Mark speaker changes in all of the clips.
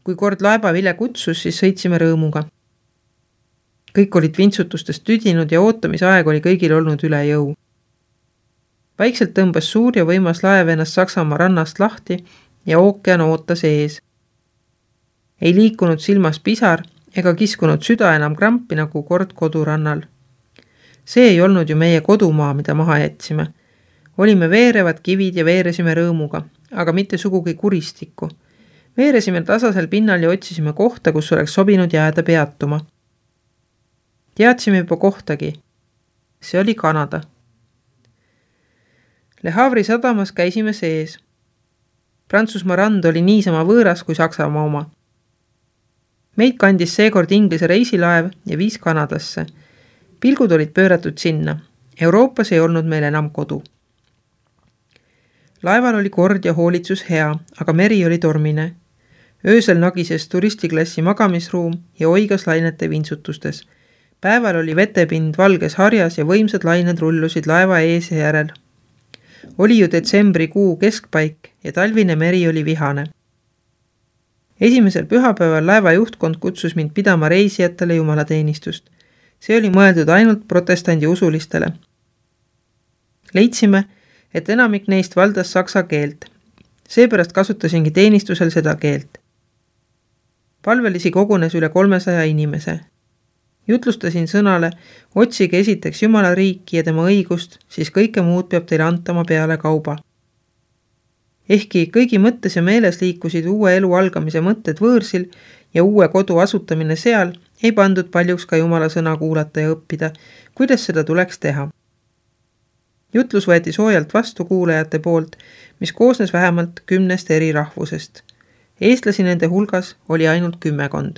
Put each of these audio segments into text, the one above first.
Speaker 1: Kui kord laevavilja kutsus, siis sõitsime rõõmuga. Kõik olid vintsutustest tüdinud ja ootamise aeg oli kõigil olnud üle jõu. Vaikselt tõmbas suur ja võimas laev ennast Saksamaa rannast lahti ja ookean ootas ees. Ei liikunud silmas pisar ega kiskunud süda enam krampi nagu kord kodurannal. See ei olnud ju meie kodumaa, mida maha jätsime. Olime veerevad kivid ja veeresime rõõmuga, aga mitte sugugi kuristikku. Veeresime tasasel pinnal ja otsisime kohta, kus oleks sobinud jääda peatuma. Teadsime juba kohtagi. See oli Kanada. Le Havre'i sadamas käisime sees. Prantsusmaa rand oli niisama võõras kui Saksamaa oma. Meid kandis seekord Inglise reisilaev ja viis Kanadasse. Pilgud olid pööratud sinna. Euroopas ei olnud meil enam kodu. Laeval oli kord ja hoolitsus hea, aga meri oli tormine. Öösel nagises turistiklassi magamisruum ja oigas lainete vintsutustes. Päeval oli vetepind valges harjas ja võimsad lained rullusid laeva ees ja järel. Oli ju detsembrikuu keskpaik ja talvine meri oli vihane. Esimesel pühapäeval laeva juhtkond kutsus mind pidama reisijatele jumalateenistust. See oli mõeldud ainult protestandi usulistele. Leidsime, et enamik neist valdas saksa keelt. Seepärast kasutasingi teenistusel seda keelt. Palvelisi kogunes üle 300 inimese. Jutlustasin sõnale, otsige esiteks Jumala riiki ja tema õigust, siis kõike muud peab teile antama peale kauba. Ehkki kõigi mõttes ja meeles liikusid uue elu algamise mõtted võõrsil ja uue kodu asutamine seal, ei pandud paljuks ka Jumala sõna kuulata ja õppida, kuidas seda tuleks teha. Jutlus võeti soojalt vastu kuulajate poolt, mis koosnes vähemalt 10 eri rahvusest. Eestlasi nende hulgas oli ainult 10.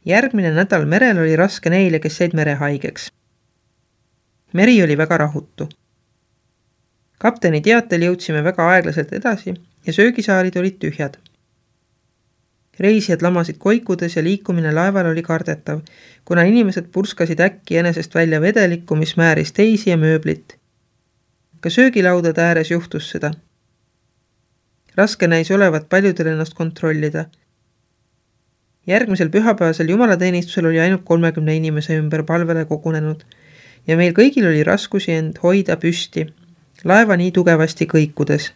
Speaker 1: Järgmine nädal merel oli raske neile, kes jäid merehaigeks. Meri oli väga rahutu. Kapteni teatel jõudsime väga aeglaselt edasi ja söögisaalid olid tühjad. Reisijad lamasid koikudes ja liikumine laeval oli kardetav, kuna inimesed purskasid äkki enesest välja vedelikku, mis määris teisi ja mööblit. Ka söögilaudade ääres juhtus seda. Raske näis olevat paljudel ennast kontrollida. Järgmisel pühapäevasel jumalateenistusel oli ainult 30 inimese ümber palvele kogunenud ja meil kõigil oli raskusi end hoida püsti, laeva nii tugevasti kõikudes.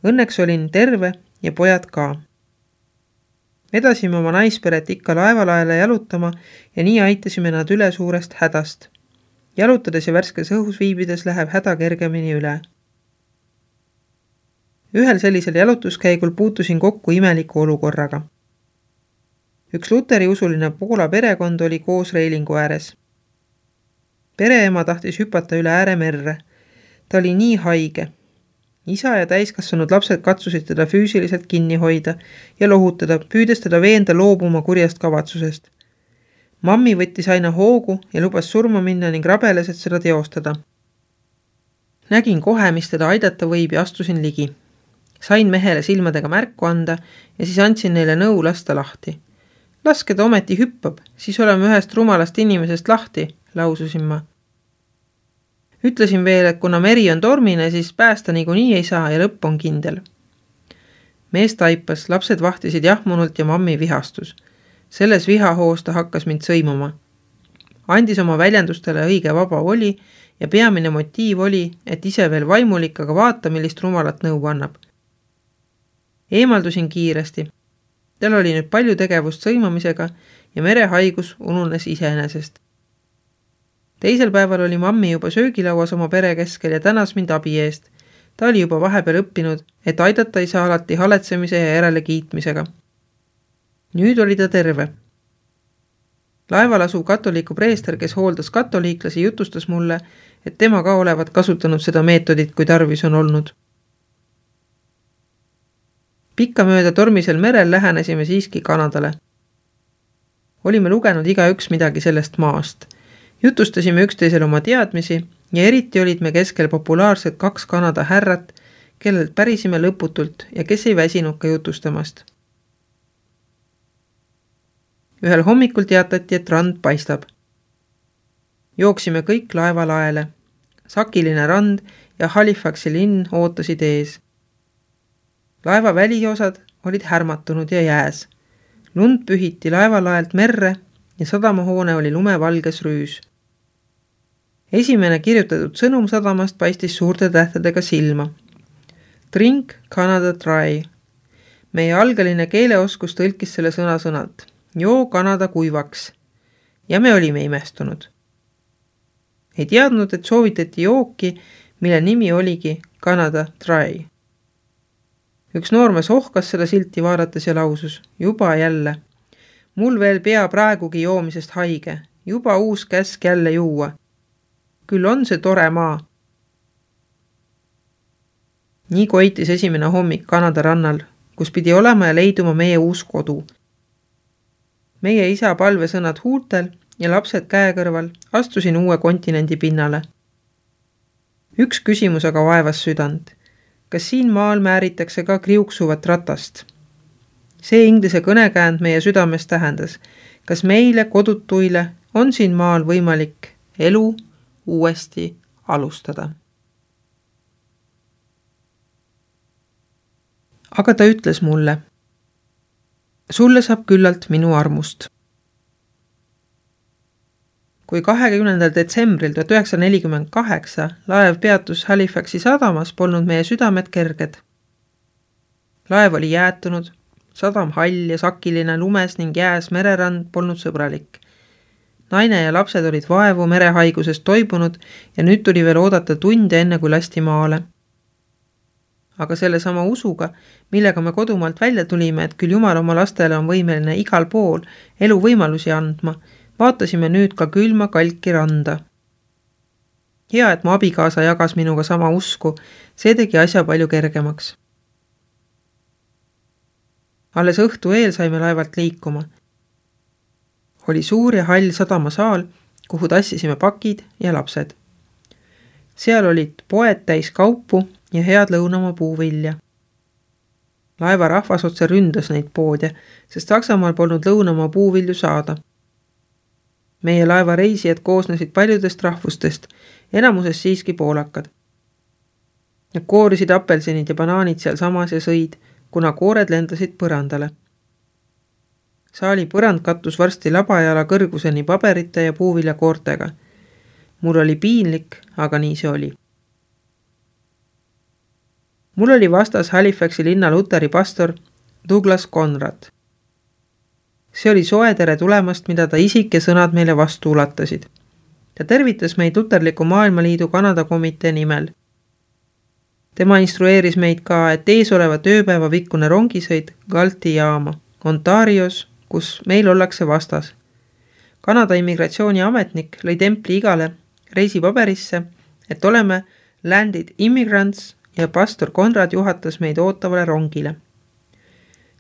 Speaker 1: Õnneks olin terve ja pojad ka. Vedasime oma naisperet ikka laevalaele jalutama ja nii aitasime nad üle suurest hädast. Jalutades ja värskes õhus viibides läheb häda kergemini üle. Ühel sellisel jalutuskäigul puutusin kokku imeliku olukorraga. Üks luteri usuline Poola perekond oli koos reilingu ääres. Pereema tahtis hüpata üle ääre merre. Ta oli nii haige. Isa ja täiskasvanud lapsed katsusid teda füüsiliselt kinni hoida ja lohutada, püüdes teda veenda loobuma kurjast kavatsusest. Mammi võttis aina hoogu ja lubas surma minna ning rabeles, et seda teostada. Nägin kohe, mis teda aidata võib ja astusin ligi. Sain mehele silmadega märku anda ja siis andsin neile nõu lasta lahti. Laske ta ometi hüppab, siis oleme ühest rumalast inimesest lahti, laususin ma. Ütlesin veel, et kuna meri on tormine, siis päästa niikuinii ei saa ja lõpp on kindel. Mees taipas, lapsed vahtisid jahmunult ja mammi vihastus. Selles vihahoos ta hakkas mind sõimama. Andis oma väljendustele õige vaba voli ja peamine motiiv oli, et ise veel vaimulik, aga vaata, millist rumalat nõu annab. Eemaldusin kiiresti. Tal oli nüüd palju tegevust sõimamisega ja merehaigus ununes iseenesest. Teisel päeval oli mammi juba söögilauas oma pere keskel ja tänas mind abi eest. Ta oli juba vahepeal õppinud, et aidata ei saa alati haletsemise ja järele kiitmisega. Nüüd oli ta terve. Laeval asuv katoliku preester, kes hooldas katoliiklasi, jutustas mulle, et tema ka olevat kasutanud seda meetodit, kui tarvis on olnud. Pikkamööda tormisel merel lähenesime siiski Kanadale. Olime lugenud igaüks midagi sellest maast. Jutustasime üksteisel oma teadmisi ja eriti olid me keskel populaarsed 2 Kanada härrat, kellelt pärisime lõputult ja kes ei väsinud ka jutustamast. Ühel hommikul teatati, et rand paistab. Jooksime kõik laevalaele. Sakiline rand ja Halifaxi linn ootasid ees. Laeva väliosad olid härmatunud ja jääs. Lund pühiti laevalaelt merre ja sadamahoone oli lumevalges rüüs. Esimene kirjutatud sõnum sadamast paistis suurte tähtedega silma. Drink Canada dry. Meie algeline keeleoskus tõlkis selle sõna-sõnalt. Joo Kanada kuivaks. Ja me olime imestunud. Ei teadnud, et soovitati jooki, mille nimi oligi Canada dry. Üks noormees ohkas seda silti vaadates ja lausus. Juba jälle. Mul veel pea praegugi joomisest haige. Juba uus käsk jälle juua. Küll on see tore maa. Nii koitis esimene hommik Kanada rannal, kus pidi olema ja leiduma meie uus kodu. Meie isa palvesõnad huultel ja lapsed käekõrval astusin uue kontinendi pinnale. Üks küsimus aga vaevas südant. Kas siin maal määritakse ka kriuksuvat ratast? See inglise kõnekäänd meie südames tähendas. Kas meile, kodutuile, on siin maal võimalik elu uuesti alustada? Aga ta ütles mulle. Sulle saab küllalt minu armust. Kui 20. detsembril 1948 laev peatus Halifaxi sadamas, polnud meie südamed kerged. Laev oli jäätunud, sadam hall ja sakiline, lumes ning jääs mererand polnud sõbralik. Naine ja lapsed olid vaevu merehaigusest toibunud ja nüüd tuli veel oodata tunde enne kui lasti maale. Aga selle sama usuga, millega me kodumaalt välja tulime, et küll Jumal oma lastele on võimeline igal pool elu võimalusi andma, vaatasime nüüd ka külma kalki randa. Hea, et mu abikaasa jagas minuga sama usku, see tegi asja palju kergemaks. Alles õhtu eel saime laevalt liikuma. Oli suur ja hall sadamasaal, kuhu tassisime pakid ja lapsed. Seal olid poed täis kaupu ja head lõunamaa puuvilja. Laeva rahvas otse ründas neid poode, sest Saksamaal polnud lõunamaa puuvilju saada. Meie laeva reisijad koosnesid paljudest rahvustest, enamuses siiski poolakad. Nad koorisid apelsinid ja banaanid seal samas ja sõid, kuna koored lendasid põrandale. Saali põrand kattus varsti labajala kõrguseni paberite ja puuvilja koortega. Mul oli piinlik, aga nii see oli. Mul oli vastas Halifaxi linna luteri pastor Douglas Conrad. See oli soe tere tulemast, mida ta isik ja sõnad meile vastu ulatasid. Ta tervitas meid Luterliku Maailmaliidu Kanada komitee nimel. Tema instrueeris meid ka, et ees oleva tööpäeva pikkune rongisõit Galti jaama, Ontarios, kus meil ollakse vastas. Kanada immigratsiooniametnik lõi templi igale reisipaberisse, et oleme landed immigrants ja pastor Conrad juhatas meid ootavale rongile.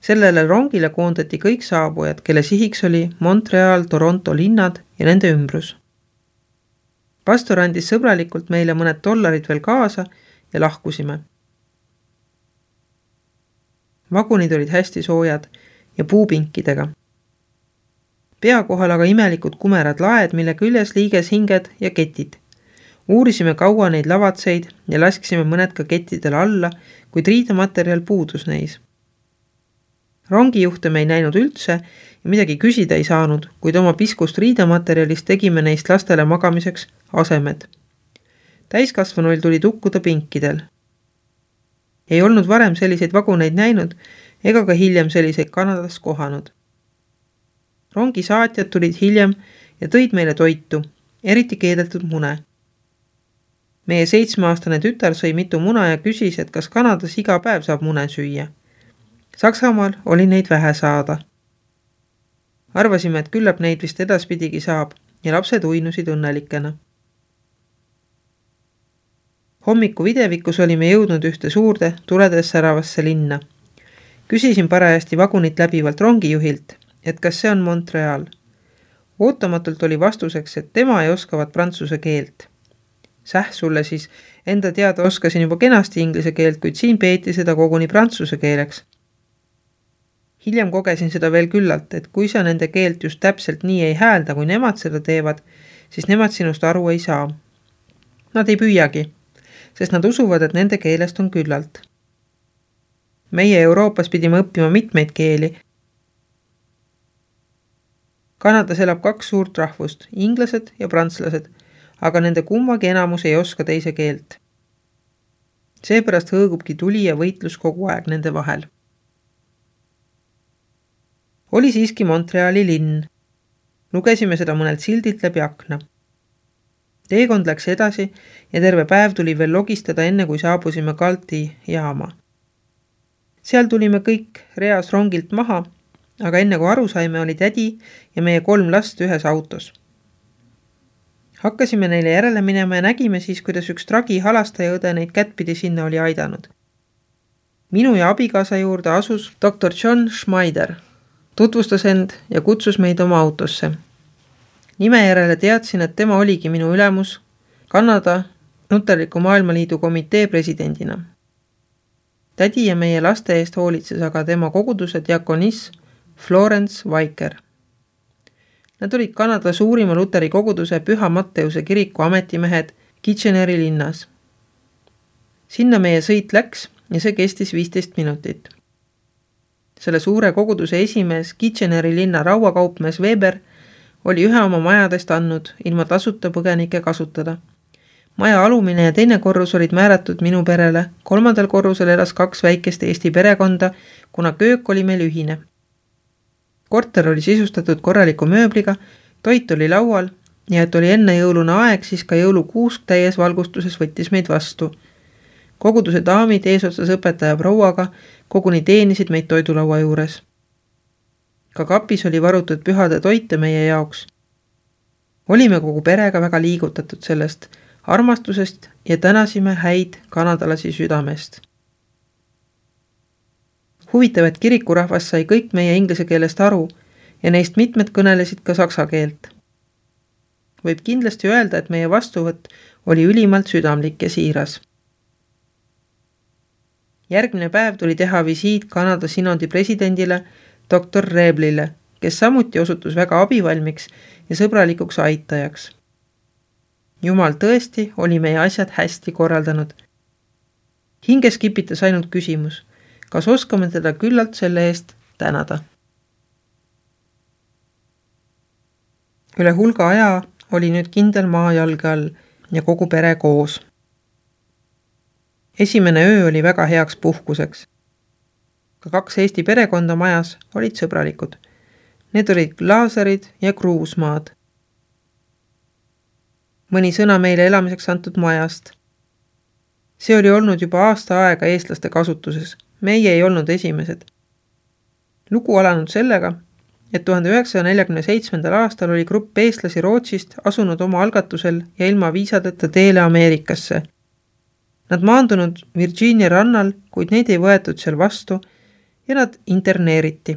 Speaker 1: Sellele rongile koondati kõik saabujad, kelle sihiks oli Montreal, Toronto linnad ja nende ümbrus. Pastor andis sõbralikult meile mõned $1 veel kaasa ja lahkusime. Vagunid olid hästi soojad ja puupinkidega. Pea kohal aga imelikud kumerad laed, mille küljes liiges hinged ja ketid. Uurisime kaua neid lavatseid ja laskisime mõned ka kettidele alla, kuid riidematerjal puudus neis. Rongijuhte me ei näinud üldse ja midagi küsida ei saanud, kuid oma piskust riidematerjalist tegime neist lastele magamiseks asemed. Täiskasvanuil tuli tukkuda pinkidel. Ei olnud varem selliseid vaguneid näinud ega ka hiljem selliseid Kanadas kohanud. Rongi saatjad tulid hiljem ja tõid meile toitu, eriti keedetud mune. Meie 7-aastane tütar sõi mitu muna ja küsis, et kas Kanadas iga päev saab mune süüa. Saksamaal oli neid vähe saada. Arvasime, et küllap neid vist edaspidigi saab ja lapsed uinusid õnnelikena. Hommiku videvikus olime jõudnud ühte suurde tuledes säravasse linna. Küsisin parajasti vagunit läbivalt rongijuhilt, et kas see on Montreal. Ootamatult oli vastuseks, et tema ei oskavat prantsuse keelt. Säh sulle siis, enda teada oskasin juba kenasti inglise keelt, kuid siin peeti seda koguni prantsuse keeleks. Hiljem kogesin seda veel küllalt, et kui sa nende keelt just täpselt nii ei häälda, kui nemad seda teevad, siis nemad sinust aru ei saa. Nad ei püüagi, sest nad usuvad, et nende keelest on küllalt. Meie Euroopas pidime õppima mitmeid keeli. Kanadas elab 2 suurt rahvust, inglased ja prantslased, aga nende kummagi enamus ei oska teise keelt. Seepärast hõõgubki tuli ja võitlus kogu aeg nende vahel. Oli siiski Montreali linn. Lugesime seda mõnelt sildilt läbi akna. Teekond läks edasi ja terve päev tuli veel logistada enne, kui saabusime Galti jaama. Seal tulime kõik reas rongilt maha, aga enne kui aru saime, oli tädi ja meie 3 last ühes autos. Hakkasime neile järele minema ja nägime siis, kuidas üks tragi halastaja õde neid kättpidi sinna oli aidanud. Minu ja abikaasa juurde asus Dr. John Schmeider, tutvustas end ja kutsus meid oma autosse. Nime järele teadsin, et tema oligi minu ülemus Kanada Luterliku Maailmaliidu komitee presidendina. Tädi ja meie laste eest hoolitses aga tema koguduse diakonis Florence Weiker. Nad olid Kanada suurima luteri koguduse Püha Matteuse kiriku ametimehed Kitcheneri linnas. Sinna meie sõit läks ja see kestis 15 minutit. Selle suure koguduse esimees Kitcheneri linna rauakaupmees Weber oli ühe oma majadest andnud ilma tasuta põgenike kasutada. Maja alumine ja teine korrus olid määratud minu perele, 3. korrusel elas 2 väikest Eesti perekonda, kuna köök oli meil ühine. Korter oli sisustatud korraliku mööbliga, toit oli laual ja et oli enne jõulune aeg, siis ka jõulukuusk täies valgustuses võttis meid vastu. Koguduse daamid eesotsas õpetaja prouaga koguni teenisid meid toidulaua juures. Ka kapis oli varutud pühade toite meie jaoks. Olime kogu perega väga liigutatud sellest armastusest ja tänasime häid kanadalasi südamest. Huvitav, et kirikurahvas sai kõik meie inglise keelest aru ja neist mitmed kõnelesid ka saksa keelt. Võib kindlasti öelda, et meie vastuvõtt oli ülimalt südamlik ja siiras. Järgmine päev tuli teha visiit Kanada sinodi presidendile Dr. Reblile, kes samuti osutus väga abivalmiks ja sõbralikuks aitajaks. Jumal tõesti oli meie asjad hästi korraldanud. Hinges kipitas ainult küsimus, kas oskame teda küllalt selle eest tänada. Üle hulga aja oli nüüd kindel maa jalge all ja kogu pere koos. Esimene öö oli väga heaks puhkuseks. Ka 2 Eesti perekonda majas olid sõbralikud. Need olid Laasarid ja Kruusmaad. Mõni sõna meile elamiseks antud majast. See oli olnud juba aasta aega eestlaste kasutuses. Meie ei olnud esimesed. Lugu alanud sellega, et 1947. aastal oli grupp eestlasi Rootsist asunud oma algatusel ja ilma viisadeta teele Ameerikasse. Nad maandunud Virginia rannal, kuid neid ei võetud seal vastu ja nad interneeriti.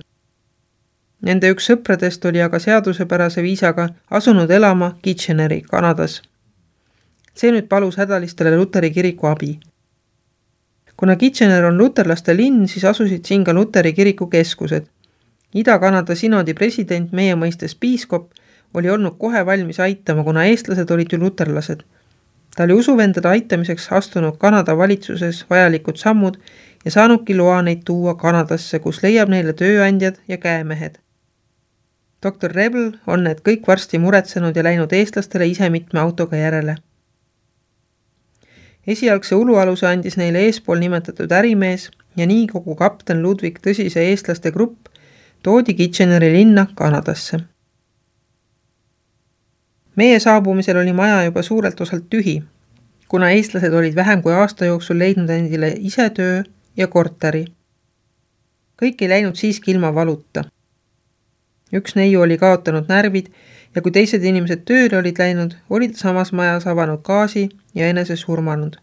Speaker 1: Nende üks sõpradest oli aga seadusepärase viisaga asunud elama Kitcheneri, Kanadas. See nüüd palus hädalistele Luteri kiriku abi. Kuna Kitchener on luterlaste linn, siis asusid siin ka Luteri kiriku keskused. Ida-Kanada sinodi president, meie mõistes piiskop, oli olnud kohe valmis aitama, kuna eestlased olid ju luterlased. Ta oli usuvendade aitamiseks astunud Kanada valitsuses vajalikud sammud ja saanudki loa neid tuua Kanadasse, kus leiab neile tööandjad ja käemehed. Dr. Rebel on need kõik varsti muretsenud ja läinud eestlastele ise mitme autoga järele. Esialgse ulualuse andis neile eespool nimetatud ärimees ja nii kogu kapten Ludwig Tõsise eestlaste grupp toodi Kitcheneri linna Kanadasse. Meie saabumisel oli maja juba suurelt osalt tühi, kuna eestlased olid vähem kui aasta jooksul leidnud endile ise töö ja korteri. Kõik ei läinud siiski ilma valuta. Üks neiu oli kaotanud närvid ja kui teised inimesed tööle olid läinud, olid samas majas avanud gaasi ja enese surmanud.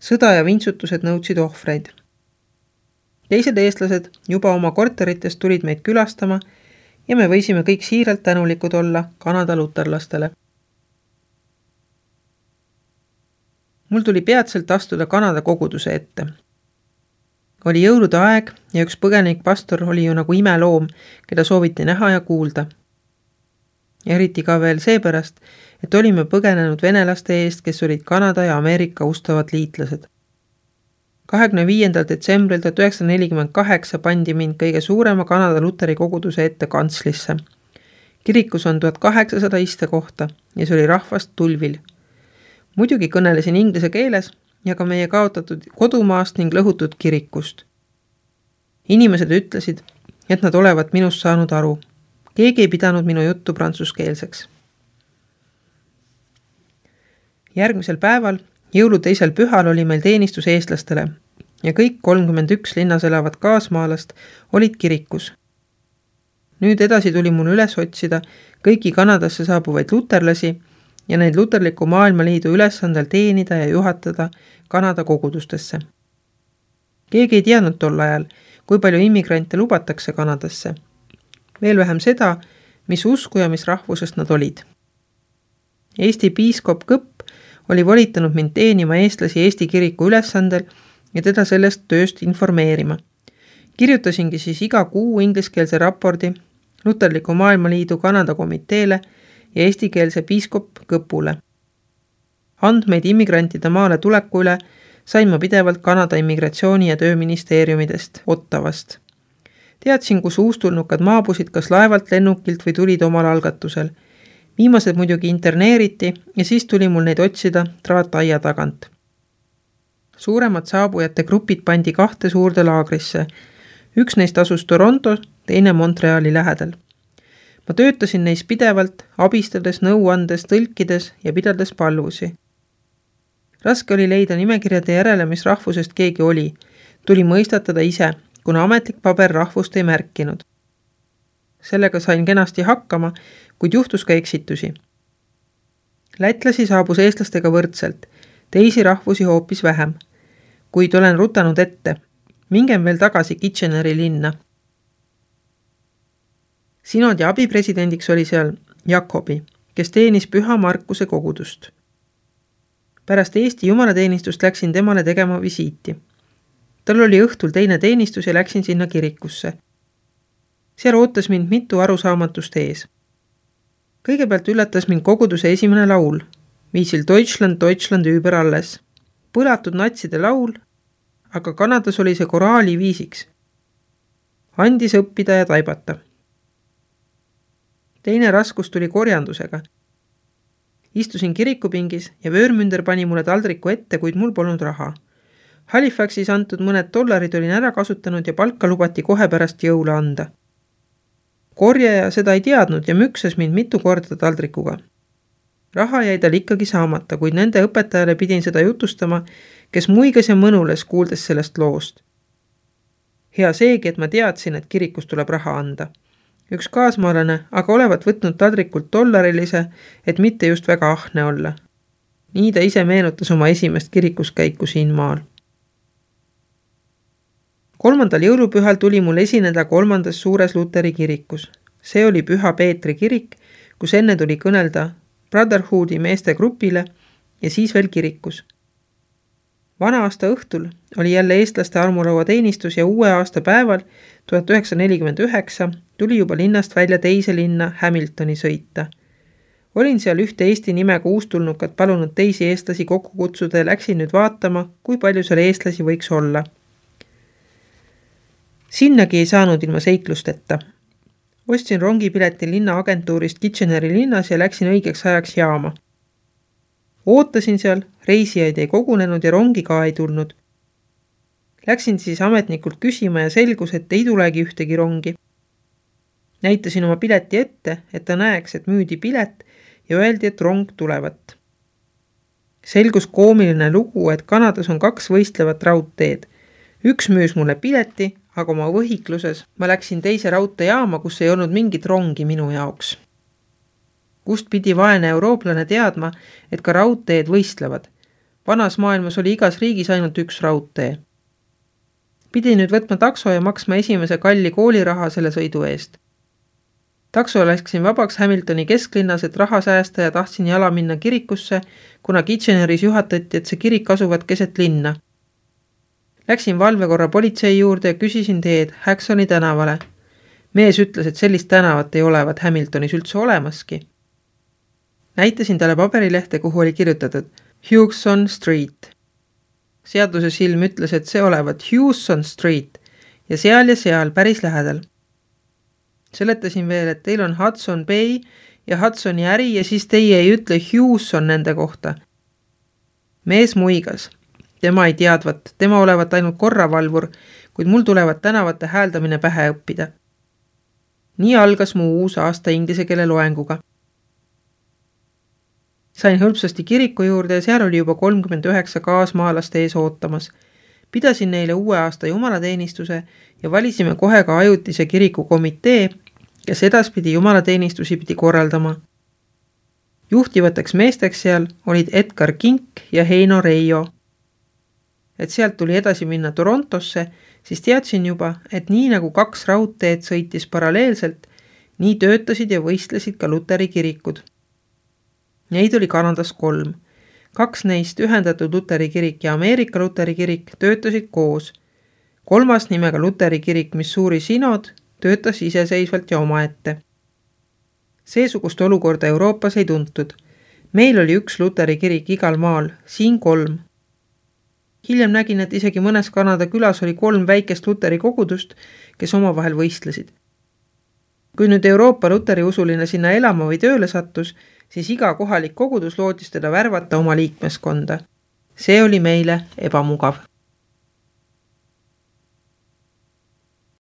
Speaker 1: Sõda ja vintsutused nõudsid ohvreid. Teised eestlased juba oma korteritest tulid meid külastama ja me võisime kõik siiralt tänulikud olla Kanada luterlastele. Mul tuli peatselt astuda Kanada koguduse ette. Oli jõulude aeg ja üks põgenik pastor oli ju nagu imeloom, keda sooviti näha ja kuulda. Eriti ka veel seepärast, et olime põgenenud venelaste eest, kes olid Kanada ja Ameerika ustavad liitlased. 25. detsembril 1948 pandi mind kõige suurema Kanada luteri koguduse ette kantslisse. Kirikus on 1800 istekohta ja see oli rahvast tulvil. Muidugi kõnelesin inglise keeles ja ka meie kaotatud kodumaast ning lõhutud kirikust. Inimesed ütlesid, et nad olevat minust saanud aru. Keegi ei pidanud minu juttu prantsuskeelseks. Järgmisel päeval, jõulu teisel pühal oli meil teenistus eestlastele ja kõik 31 linnas elavat kaasmaalast olid kirikus. Nüüd edasi tuli mul üles otsida kõiki Kanadasse saabuvaid luterlasi ja neid luterliku maailmaliidu ülesandel teenida ja juhatada Kanada kogudustesse. Keegi ei teadnud tol ajal, kui palju immigrante lubatakse Kanadasse. Veel vähem seda, mis usku ja mis rahvusest nad olid. Eesti piiskop Kõpp oli volitanud mind teenima eestlasi Eesti kiriku ülesandel ja teda sellest tööst informeerima. Kirjutasingi siis iga kuu ingliskeelse raporti Luterliku maailmaliidu Kanada komiteele ja eestikeelse piiskop Kõpule. Andmeid immigrantide maale tuleku üle sain ma pidevalt Kanada immigratsiooni- ja tööministeeriumidest Ottavast. Teadsin, kus uustulnukad maabusid kas laevalt, lennukilt või tulid omal algatusel. Viimased muidugi interneeriti ja siis tuli mul neid otsida traataia tagant. Suuremad saabujate grupid pandi 2 suurde laagrisse. Üks neist asus Toronto, teine Montreali lähedal. Ma töötasin neis pidevalt, abistades, nõuandes, tõlkides ja pidades palvusi. Raske oli leida nimekirjade järele, mis rahvusest keegi oli. Tuli mõistatada ise, kuna ametlik paber rahvust ei märkinud. Sellega sain kenasti hakkama, kuid juhtus ka eksitusi. Lätlasi saabus eestlastega võrdselt, teisi rahvusi hoopis vähem. Kuid olen rutanud ette. Mingem veel tagasi Kitcheneri linna. Sinodi abipresidendiks oli seal Jakobi, kes teenis Püha Markuse kogudust. Pärast Eesti jumalateenistust läksin temale tegema visiiti. Tal oli õhtul teine teenistus ja läksin sinna kirikusse. Seal ootas mind mitu arusaamatust ees. Kõigepealt üllatas mind koguduse esimene laul, viisil Deutschland, Deutschland über alles. Põlatud natside laul, aga Kanadas oli see koraali viisiks. Andis õppida ja taibata. Teine raskus tuli korjandusega. Istusin kirikupingis ja vöörmünder pani mulle taldriku ette, kuid mul polnud raha. Halifaxis antud mõned $, olin ära kasutanud ja palka lubati kohe pärast jõule anda. Korjaja seda ei teadnud ja müksas mind mitu korda taldrikuga. Raha jäi tal ikkagi saamata, kuid nende õpetajale pidin seda jutustama, kes muigas ja mõnules kuuldes sellest loost. Hea seegi, et ma teadsin, et kirikus tuleb raha anda. Üks kaasmaalane aga olevat võtnud taldrikult $, et mitte just väga ahne olla. Nii ta ise meenutas oma esimest kirikuskäiku siin maal. 3. jõulupühal tuli mul esineda 3. suures luteri kirikus. See oli Püha Peetri kirik, kus enne tuli kõnelda Brotherhoodi meeste grupile ja siis veel kirikus. Vana aasta õhtul oli jälle eestlaste armulaua teenistus ja uue aasta päeval 1949 tuli juba linnast välja teise linna Hamiltoni sõita. Olin seal ühte Eesti nimega uustulnukat palunud teisi eestlasi kokku kutsuda ja läksin nüüd vaatama, kui palju seal eestlasi võiks olla. Sinnagi ei saanud ilma seiklusteta. Ostsin rongipileti linna agentuurist Kitcheneri linnas ja läksin õigeks ajaks jaama. Ootasin seal, reisijaid ei kogunenud ja rongi ka ei tulnud. Läksin siis ametnikult küsima ja selgus, et ei tulegi ühtegi rongi. Näitasin oma pileti ette, et ta näeks, et müüdi pilet ja öeldi, et rong tulevat. Selgus koomiline lugu, et Kanadas on 2 võistlevat raudteed. Üks müüs mulle pileti, aga oma võhikluses ma läksin teise raudteejaama, kus ei olnud mingit rongi minu jaoks. Kust pidi vaene eurooplane teadma, et ka raudteed võistlevad. Vanas maailmas oli igas riigis ainult üks raudtee. Pidi nüüd võtma takso ja maksma esimese kalli kooliraha selle sõidu eest. Takso läksin vabaks Hamiltoni kesklinnas, et raha säästa ja tahtsin jala minna kirikusse, kuna Kitcheneris juhatati, et see kirik asuvad keset linna. Läksin valvekorra politsei juurde ja küsisin teed Hacksoni tänavale. Mees ütles, et sellist tänavat ei olevat Hamiltonis üldse olemaski. Näitasin talle paberilehte, kuhu oli kirjutatud Hugson Street. Seaduse silm ütles, et see olevat Houston Street ja seal päris lähedal. Seletasin veel, et teil on Hudson Bay ja Hudsoni äri ja siis teie ei ütle Houston nende kohta. Mees muigas. Tema ei teadvat, tema olevat ainult korravalvur, kuid mul tulevad tänavate hääldamine pähe õppida. Nii algas mu uus aasta inglise keele loenguga. Sain hõlpsasti kiriku juurde ja seal oli juba 39 kaasmaalast ees ootamas. Pidasin neile uue aasta jumalateenistuse ja valisime kohe ka ajutise kirikukomitee, kes edaspidi jumalateenistusi pidi korraldama. Juhtivateks meesteks seal olid Edgar Kink ja Heino Reijo. Et sealt tuli edasi minna Torontosse, siis teadsin juba, et nii nagu 2 raudteed sõitis paralleelselt, nii töötasid ja võistlesid ka Luteri kirikud. Neid oli Kanadas 3. 2 neist ühendatud Luteri kirik ja Ameerika Luteri kirik töötasid koos. 3. nimega Luteri kirik Missouri Synod töötas iseseisvalt ja omaette. Seesugust olukorda Euroopas ei tuntud. Meil oli 1 Luteri kirik igal maal, siin 3. Hiljem nägin, et isegi mõnes Kanada külas oli 3 väikest Luteri kogudust, kes omavahel võistlesid. Kui nüüd Euroopa Luteri usuline sinna elama või tööle sattus, siis iga kohalik kogudus lootis teda värvata oma liikmeskonda. See oli meile ebamugav.